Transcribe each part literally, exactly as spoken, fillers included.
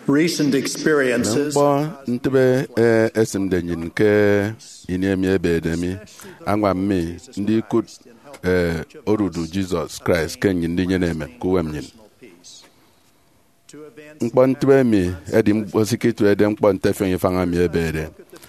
Recent experiences. Mme ñkpọ ntịbe, eh, esịmde nnyịn ke ini emi ebeede mi, añwam mi ndikụt, eh, odudu Jesus Christ ke nnyịn ndinyene emem ke uwem nnyịn. Ñkpọ ntịbe emi ẹdi ñkpọ se iketịbede ñkpọ nte ẹfiọñ ifañ emi ebeede.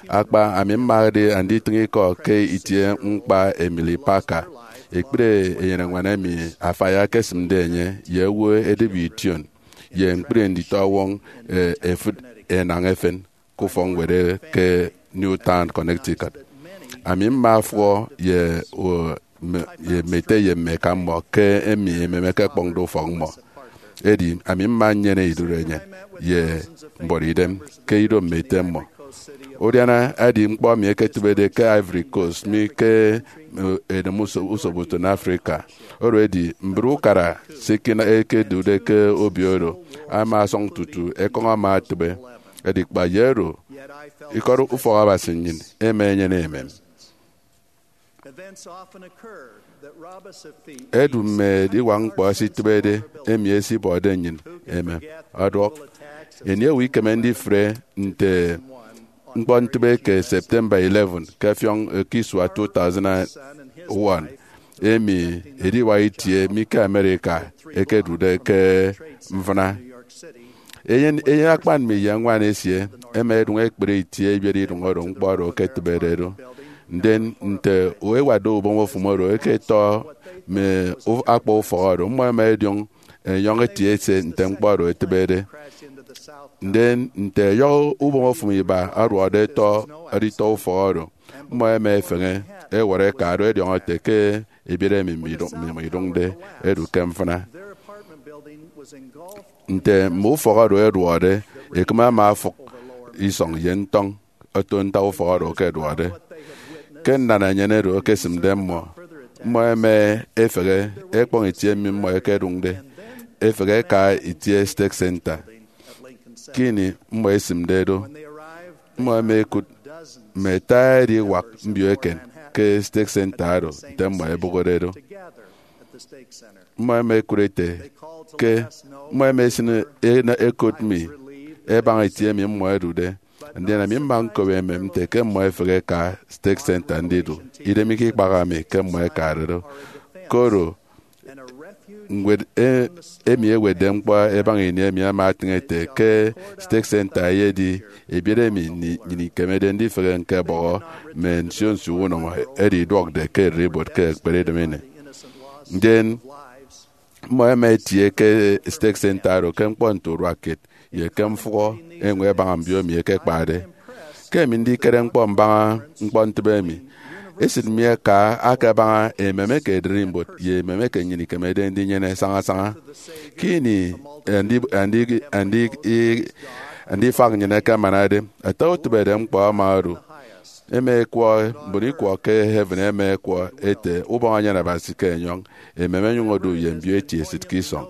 Akpa, ami mmade anditịñ ikọ ke itie ñkpa Emily Parker, ekpri eyeneñwan emi afai akesịmde enye ye owo edịbe ition ye ñkpri nditọwọñ, eh, efịt enañ efen ke ufọkñwed ke Newtown, Connecticut. Ami mma afụhọ ye, o, mme, ye mme ete ye mme eka mmọ ke emi emem ekekpọñde ufọk mmọ. Edi ami mma nnyene idurenyịn ye mbuọtidem ke ido mme ete mmọ. Udiana edi ñkpọ emi eketịbede ke Ivory Coast mi ke, eh, edem uso-, usoputịn Africa. Oro edi, mbri ukara se ikina-, ekedude ke obio oro ama asọñ tutu ekọñ ama atịbe. Edi kpa ye oro, ikọt ufọk Abasi nnyịn ema enyene emem. Events often occur that rob us of feet. Edu mme ediwak ñkpọ ẹsitịbede emi ẹsibọde nnyịn emem ọduọk. Ini owo ikeme ndifre nte ñkpọ ntịbe ke September eleven ke ẹfiọñ eke isua two thousand one, emi ediwak itie mi ke America ekedude ke mfịna. Eyen, eyen akpan mi ye ñwan esie ẹma ẹdụñ ẹkpri itie ebiet idụñ oro ñkpọ oro eketịbede do. Ndien nte ewatde ubom ofụm oro, ẹketọ mme u-, akpa ufọk oro, mmọ ẹma ẹdiọñ ẹnyọñ ẹtie ẹse nte ñkpọ oro etịbede. Ndien nte ẹyọhọ ubom ofụm iba aduọkde ẹtọ editọ ufọk oro, mmọ ẹma ẹfeñe ẹwọrọ ẹka do ẹdiọñọ ẹte ke ebiet emi midụñ-, mi-, midụñde edu ke mfịna. Nte mme ufọk oro ẹduọkde, ekịm ama afụk isọñ ye ntọñ oto ntak ufọk oro ẹkeduọkde. Ke nnan enyịn oro ekesịmde mmọ, mmọ ẹma ẹfehe ẹkpọñ itie emi mmọ ẹkedụñde, ẹfehe ẹka itie Stake Center. Ke ini mmọ ẹsịmde do, mmọ ẹma ẹkụt mme ata ediwak mbio eken ke Stake Center oro nte mmọ ẹbụhọde do. Mmọ ẹma ẹkụt ete ke mmọ ẹma ẹsịn ẹkot mi ẹbaña itie emi mmọ ẹdude. Ndien ami mma ñkop emem nte ke mmọ ẹfehe ẹka Stake Center ndidu. Idem ikekpaha mi ke mmọ ẹkade do. Koro ñwed, e, emi ewetde ñkpọ ẹbaña ini emi ama atịñ ete ke Stake Center eyedi ebiet emi ni-, nnyịn ikemede ndifehe ñkebọhọ mme nsio nsio unọmọ edi iduọkde ke ererimbot ke ekpere idem ini. Ndien mmọ ẹma ẹtie ke Stake Center oro ke ñkpọ nte uduak kiet ye ke mfụhọ eñwen ẹbaña mbio emi ẹkekpade. Ke emi ndikere ñkpọ mbaña ñkpọ ntịbe emi, esịt mi aka akebaña emem eke ererimbot ye emem eke nnyịn ikemede ndinyene sañasaña. Ke ini andi-, andi-, andi-, i-, andifak nnyịn ẹkemanade, ata utịbede ñkpọ ama odu. Ẹma ẹkwọ, mbon ikwọ ke heaven ẹma ẹkwọ ẹte ubọñ anyan Abasi ke enyọñ, emem ẹnyụñ odu ye mbio eti esịt ke isọñ.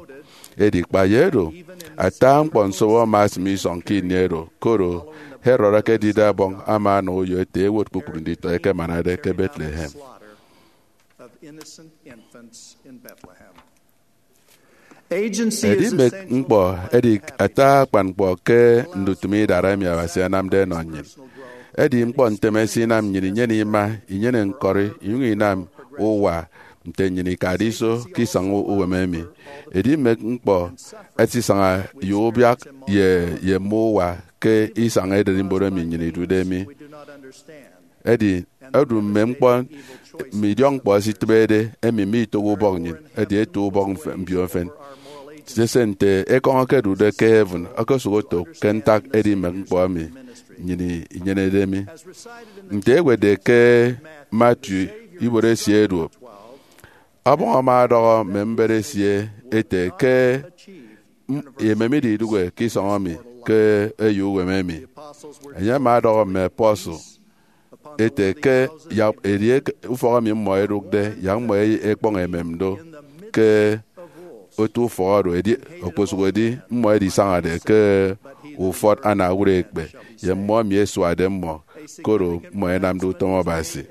Edi kpa ye oro, ata ñkpọ nsobo ama asịm isọñ ke ini oro, koro Herod ekedide ọbọñ ama anọ uyo ete ẹwot kpukpru nditọ ẹkemanade ke Bethlehem. Edimek ñkpọ edi ata akpan ñkpọ ke ndutịm idara emi Abasi anamde ọnọ nnyịn. Edi ñkpọ ntem esinam nnyịn inyene ima, inyene ñkọri, inyụñ inam uwa nte nnyịn ikade iso ke isañ u-, uwem emi. Edimek ñkpọ ẹsisaña ye ubiak ye, ye mme uwa ke isañ ererimbot emi nnyịn idude mi. Edi, odu mme ñkpọ, mme idiọkñkpọ ẹsitịbede, emi mitoho ubọk nnyịn, edi eto ubọk mf-, mbio mfịn. Sese nte ekọñ eke odude ke heaven okosụk oto ke ntak edimek ñkpọ emi nnyịn inyenede mi. Nte ewetde ke Matthew, ibuot esie eduop, Ọbọñ ama ọdọhọ mme mbet esie ete ke m-, emem ididụhe ke isọñ emi ke eyo uwem emi. Enye ama ọdọhọ mme apostle ete ke yak edieke ufọk emi mmọ ẹdụkde, yak mmọ e-, ẹkpọñ emem do ke otu ufọk oro, edi, okposụkedi mmọ ẹdisañade ke ufọt anaurua ekpe, ye mmọ emi ẹsuade mmọ, koro mmọ ẹnamde utom Abasi.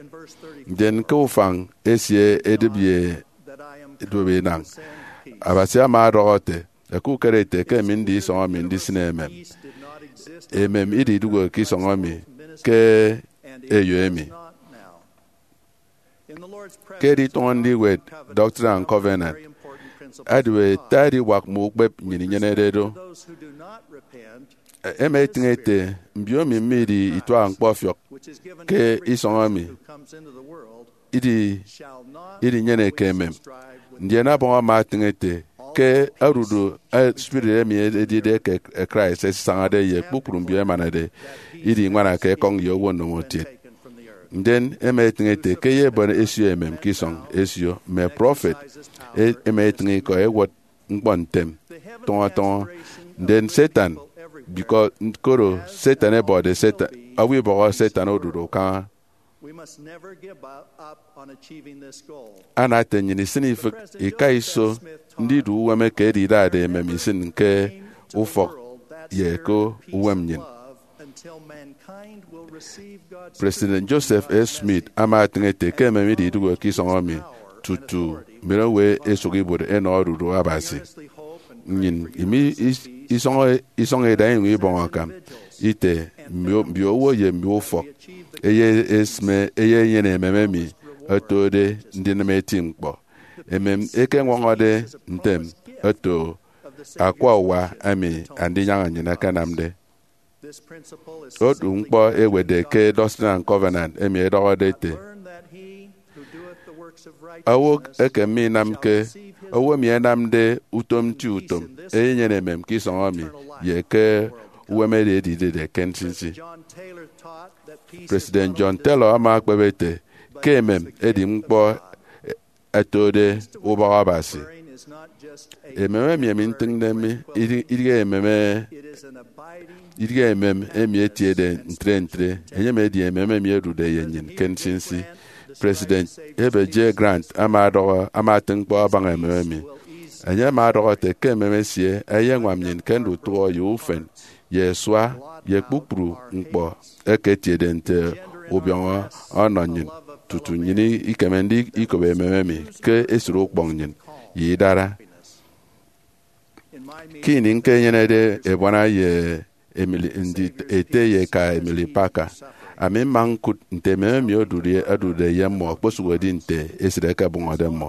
Ndien ke ufañ esie edịp ye edube inañ, Abasi ama ọdọhọ ete, Ẹkukere ete ke emi ndi isọñ emi ndisịne emem. Emem ididụhe ke isọñ emi ke eyo emi. Ke editọñọ ndiwet Doctrine and Covenant, adibe ete adiwak mme ukpep nnyịn inyenede do. Ẹma ẹtịñ ete mbiomi mme idi ituaha ñkpọfiọk ke isọñ emi idi idinyeneke emem. Ndien Abọñ ama atịñ ete ke odudu spirit emi edide ke Christ esisañade ye kpukpru mbio ẹmanade idi iñwana ke ekọñ ye owo nnomotiet. Ndien ẹma ẹtịñ ete ke eyebon esio emem ke isọñ esio mme prọfet e- ẹma ẹtịñ ikọ ẹwot ñkpọ ntem tọñọ tọñọ. Ndien Satan, biko koro Satan ẹbọde Satan, owo ibọhọ Satan odudu kaña. Ana ete nnyịn isịn ifịk ika iso ndidu uwem eke edidade emem isịn ke ufọk ye ke uwem nnyịn. President Joseph F. Smith ama atịñ ete ke emem ididụhe ke isọñ emi tutu mbiowo esụk ibuot ẹnọ odudu Abasi. Nnyịn imi isọñ ida iñwañ ibọñ akam ite mbiowo ye mbio ufọk ẹyesịme ẹyenyene emem emi ẹtode ndinịm eti ñkpọ. Emem eke ẹñwọñọde ntem ẹto akwa uwa emi Andinyaña nnyịn akanamde. Otu ñkpọ ewetde ke Doctrine and Covenant emi edọhọde ete, owo eke minamke, owo emi enamde utom nti utom eyenyene emem ke isọñ emi ye ke uwem edi edidide ke nsinsi. President John Taylor ama akpep ete ke emem edi ñkpọ ẹtode ubọk Abasi. Emem emi ami ntịñde mi idịghe emem emi etiede ntre ntre, enyem edi emem emi odude ye nnyịn ke nsinsi. President Heber J. Grant ama adọhọ ama atịñ ñkpọ abaña emem emi. Enye ama ọdọhọ ete ke emem esie eyeñwam nnyịn ke ndutụhọ ye ufen ye asua ye kpukpru ñkpọ eke etiede nte ubiọñọ ọnọ nnyịn tutu nnyịn ikeme ndikop emem emi ke esịt ukpọñ nnyịn ye idara. Ke ini ñkenyenede ebuana ye Emily, ndi ete ye eka Emily Parker, ami mma ñkụt nte emem emi odude ye mmọ okposụkedi nte esịt ẹkebụñọde mmọ.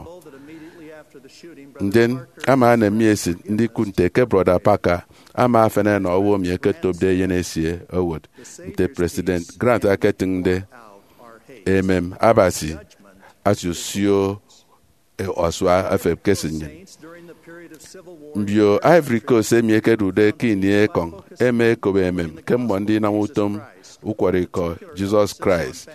Ndien ama enem mi esịt ndikụt nte ke Brọda Parker ama efen enọ owo emi eketopde eyen esie owot nte President Grant eketịñde. Emem Abasi asiosio asua efep ke esịt nnyịn. Mbio Ivory Coast emi ẹkedude ke ini ekọñ ẹma ẹkop emem ke mmọ ndinam utom ukwọrọikọ Jesus Christ,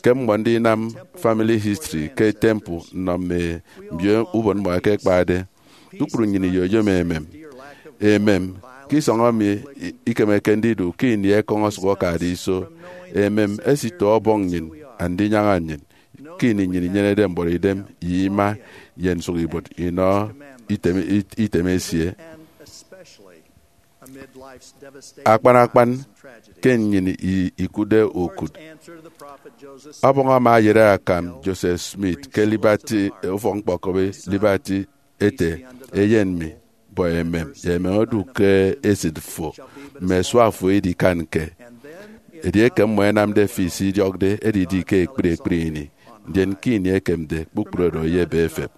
ke mmọ ndinam family history ke temple nnọ mme mbio ubon mmọ ẹkekpade. Kpukpru nnyịn iyoyom emem. Emem ke isọñ emi ikemeke ndidu ke ini ekọñ osụk okade iso. Emem esito Ọbọñ nnyịn Andinyaña nnyịn ke ini nnyịn inyenede mbuọtidem ye ima ye nsụkibuot inọ item, item esie. Akpan akpan ke nnyịn ikụtde ukụt, Ọbọñ ama ayere akam Joseph Smith ke Liberty, ufọk-ñkpọkọbi Liberty, ete, Eyen mi, bọ emem, ye emem odu ke esịt fo, mme asua fo idikanke. Edieke mmọ ẹnamde fi se idiọkde, edidi ke ekpri ekpri ini, ndien ke ini ekemde, kpukpru oro eyebe efep.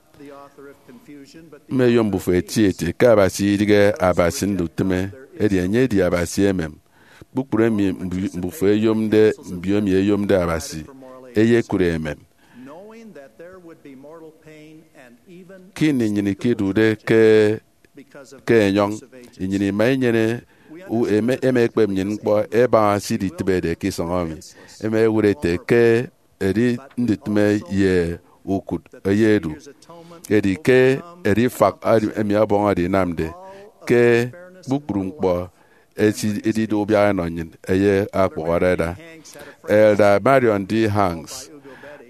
Mme eyo mbufo eti eti ke Abasi idighe Abasi ndutịme, edi enye edi Abasi emem. Kpukpru emi mbufo eyomde, mbio emi eyomde Abasi, eyekụre emem. Ke ini nnyịn ikedude ke ke enyọñ, nnyịn ima inyene, ema ekpep nnyịn ñkpọ ẹbaña se iditịbede ke isọñ emi. Ema ewụt ete ke edi ndutịme ye ukụt eyedu, edi ke edi ifak emi Ọbọñ oro inamde ke kpukpru ñkpọ esi edidu ubiak ẹnọ nnyịn, eye akpụhọrede. Elder Marion D. Hanks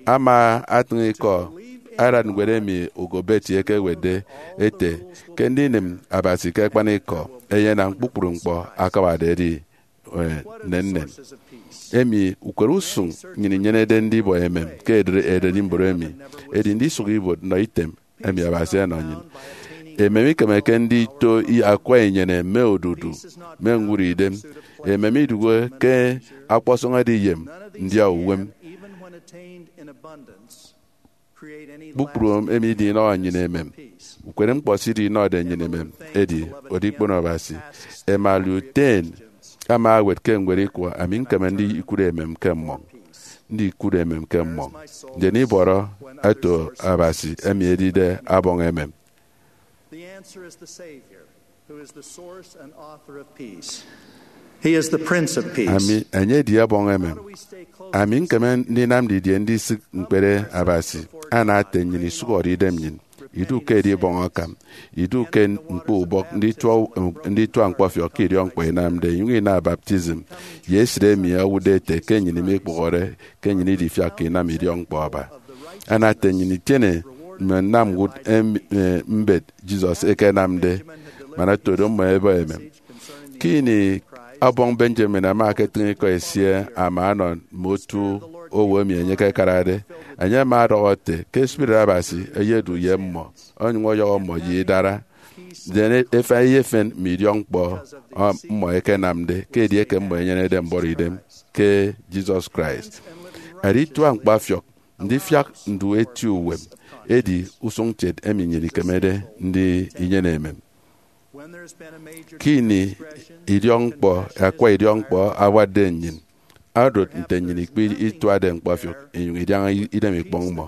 ama atịñ ikọ aran ñwed emi Hugo Betti ekewetde ete ke ndinịm Abasi ke akpanikọ eyenam kpukpru ñkpọ akabade edi nnennen. Emi ukere usụñ nnyịn inyenede ndibọ emem ke ederi mboro emi, edi ndisụk ibuot nnọ item emi Abasi ọnọ nnyịn. Emem ikemeke ndito i- akwa inyene mme odudu mme ñwụri idem. Emem idụhe ke ọkpọsọñ ediyem ndia uwem. Kpukpru emi idinọhọ nnyịn emem. Ukpere ñkpọ se idinọhọde nnyịn emem edi oro ikpono Abasi. Emma Luther ama ewet ke ñwed ikwọ, "Ami ñkeme ndikụt emem ke mmọñ, ndikụt emem ke mmọñ, ndien ibọrọ eto Abasi emi edide ọbọñ emem." The answer is the Savior, who is the source and author of peace. He is the Prince of Peace. Ami, enye edi ọbọñ emem. Ami ñkeme ndinam didie ndisịk ñkpere Abasi? Ana ete nnyịn isụhọde idem nnyịn, idu ke edibọñ akam, idu ke ñkpọ ubọk nditua, nditua ñkpọfiọk ke idiọkñkpọ inamde, inyụñ ina baptism ye esịt emi owụtde ete ke nnyịn imikpụhọre ke nnyịn idifiak inam idiọkñkpọ aba. Ana ete nnyịn itiene mme nnamwụt em-, eh, mbet Jesus ekenamde, man oto do mmọ ẹbọ emem. Ke ini ọbọñ Benjamin ama eketịñ ikọ esie ama ọnọ mme otu owo emi enye ekekarade, enye ama ọdọhọ ete ke Spirit Abasi eyedu ye mmọ, onyụñ ọyọhọ mmọ ye idara, ndien efen eyefen mme idiọkñkpọ, ọ, mmọ ekenamde, ke edieke mmọ enyenede mbọrọidem ke Jesus Christ. Editua ñkpọfiọk ndifiak ndu eti uwem edi usụñkiet emi nnyịn ikemede ndi inyene emem. Ke ini idiọkñkpọ, akwa idiọkñkpọ awatde nnyịn, odot nte nnyịn ikpe ituade ñkpọfiọk inyụñ idiaña idem ikpọñ mmọ.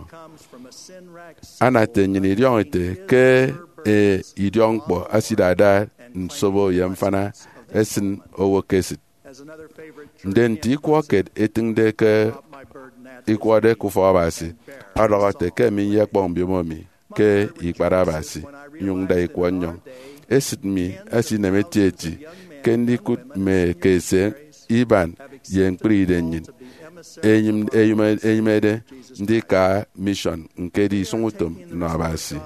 Ana ete nnyịn idiọñọ ete ke e, idiọkñkpọ esidada nsobo ye mfana esịn owo ke esịt. Ndien nte ikwọ kiet etịñde ke ikwọde ke ufọk Abasi, ọdọhọ ete ke mi nyekpọñ mbiomo mi ke ikpat Abasi, nyụñ nda ikwọ nnyọñ. Esịt mi esinem etieti ke ndikụt mme eke ese iban ye ñkpri idem nnyịn enyịm-, enyịm-, enyịmede ndika mission, ñkedi isụñutom nnọ Abasi.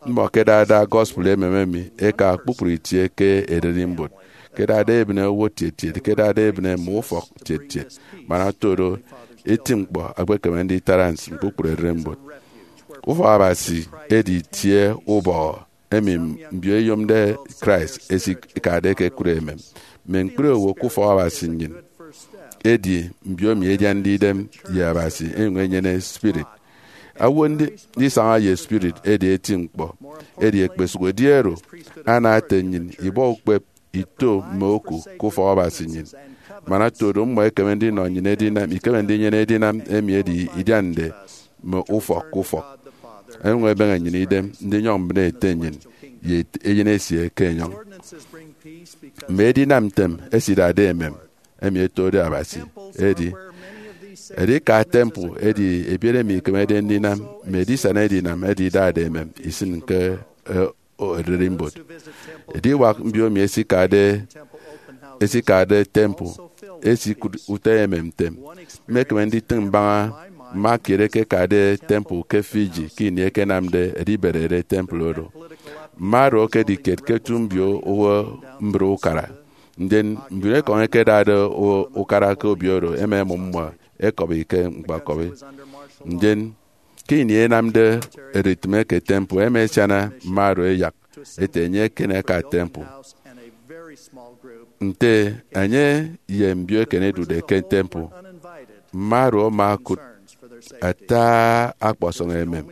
Mmọ ẹkedada gospel emem emi ẹka kpukpru itie ke ererimbot, ẹkedada ebịne owo tietiet, ẹkedada ebịne mme ufọk tietiet, man oto do eti ñkpọ ekpekeme nditara nsin kpukpru ererimbot. Ufọk Abasi edi itie ubọhọ emi mbio eyomde Christ ẹsikade ẹkekụt emem. Mme ñkpri owo ke ufọk Abasi nnyịn edi mbio emi ẹdiande idem ye Abasi ẹnyụñ ẹnyene spirit. Owo ndi-, ndisaña ye spirit edi eti ñkpọ. Edi ekpesụk edi oro, ana ete nnyịn ibọ ukpep ito mme oku ke ufọk Abasi nnyịn. Man oto do mmọ ẹkeme ndinọ nnyịn edinam, ikeme ndinyene edinam emi edi idiande mme ufọk ke ufọk. Ẹnyụñ ẹbeñe nnyịn idem ndinyọñ mbịne ete nnyịn ye eyen esie ke enyọñ. Mme edinam ntem ẹsidade emem emi ẹtode Abasi edi, edika temple edi ebiet emi ikemede ndinam mme edisana edinam edi idade emem isịn ke, eh, ererimbot. Ediwak mbio emi esikade, esikade temple esikụt utọ emem ntem. Mmekeme nditịñ mbaña mma kiet eke ekade temple ke Fiji ke ini ẹkenamde ẹdiberede temple oro. Mma oro ẹkedi kiet ke otu mbio owo mbre ukara. Ndien mbiomo ekọñ ẹkedade u-, ukara ke obio oro ẹma ẹmụm mmọ ẹkọbi ke ñkpọkọbi. Ndien ke ini ẹnamde ererimbot ke temple, ẹma ẹsiana mma oro ẹyak ete enye eken ẹka temple. Nte enye ye mbio eken ẹdude ke temple, mma oro ama okụt ata ọkpọsọñ emem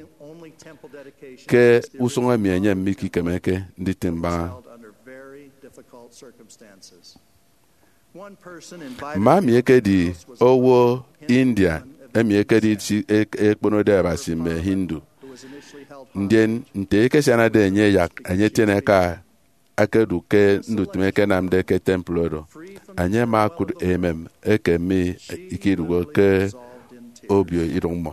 ke usụñ emi enye mikikemeke nditịñ mbaña. Mma mi ekedi owo India emi ekedi isi-, ek-, ekponode Abasi mme Hindu. Ndien nte ekesianade enye ẹyak enye etiene eka ẹkedu ke ndutịm ẹkenamde ke temple oro, enye ama okụt emem eke mi ikiduhe ke obio idụñ mmọ.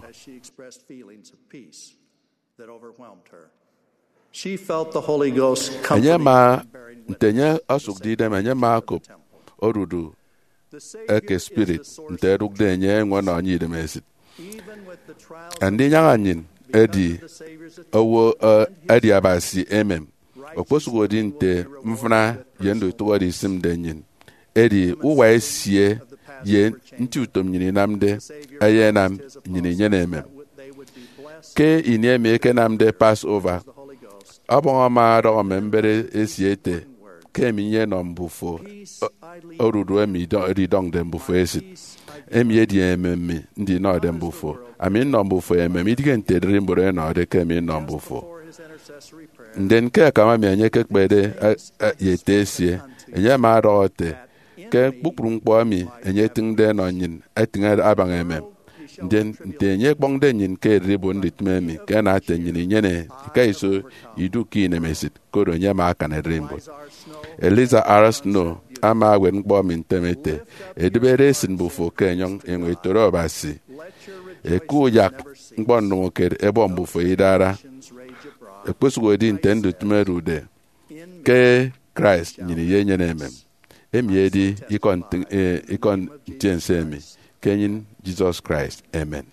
Enye ama, nte enye osụkde idem, enye ama okop odudu eke spirit nte ẹdụkde enye eñwen ọnọ enye idemesit. Andinyaña nnyịn edi owo, eh, edi Abasi emem, okposụkedi nte mfịna ye ndutụhọde isịmde nnyịn. Edi uwa esie ye nti utom nnyịn inamde eyenam nnyịn inyene emem. Ke ini emi ẹkenamde Passover, Ọbọñ ama ọdọhọ mme mbet esie ete, ke emi nyenọ mbufo odudu emi edidọñde mbufo esit. Emi edi emem mi ndinọde mbufo. Ami nnọ mbufo emem, idige nte ererimbot enọde ke emi nnọ mbufo. Ndien ke akam emi enye ekekpede ye ete esie, enye ama ọdọhọ ete, ke kpukpru ñkpọ emi enye etịñde enọ nnyịn etịñ abaña emem. Ndien nte enye ekpọñde nnyịn ke ererimbot ndutịm emi, ke ana ete nnyịn inyene ikaiso idu ke inemesịt, koro enye ama akan ererimbot. Eliza R. Snow ama ewet ñkpọ emi ntem ete, edịbede esịt mbufo ke enyọñ enyọñ etoro Abasi. Eke uyak ñkpọ ndomokiet ebọ mbufo idara. Okposụkedi nte ndutịm ẹdude, ke Christ nnyịn iyenyene emem. Emi edi ikọ ntiense emi ke enyịn Jesus Christ. Amen.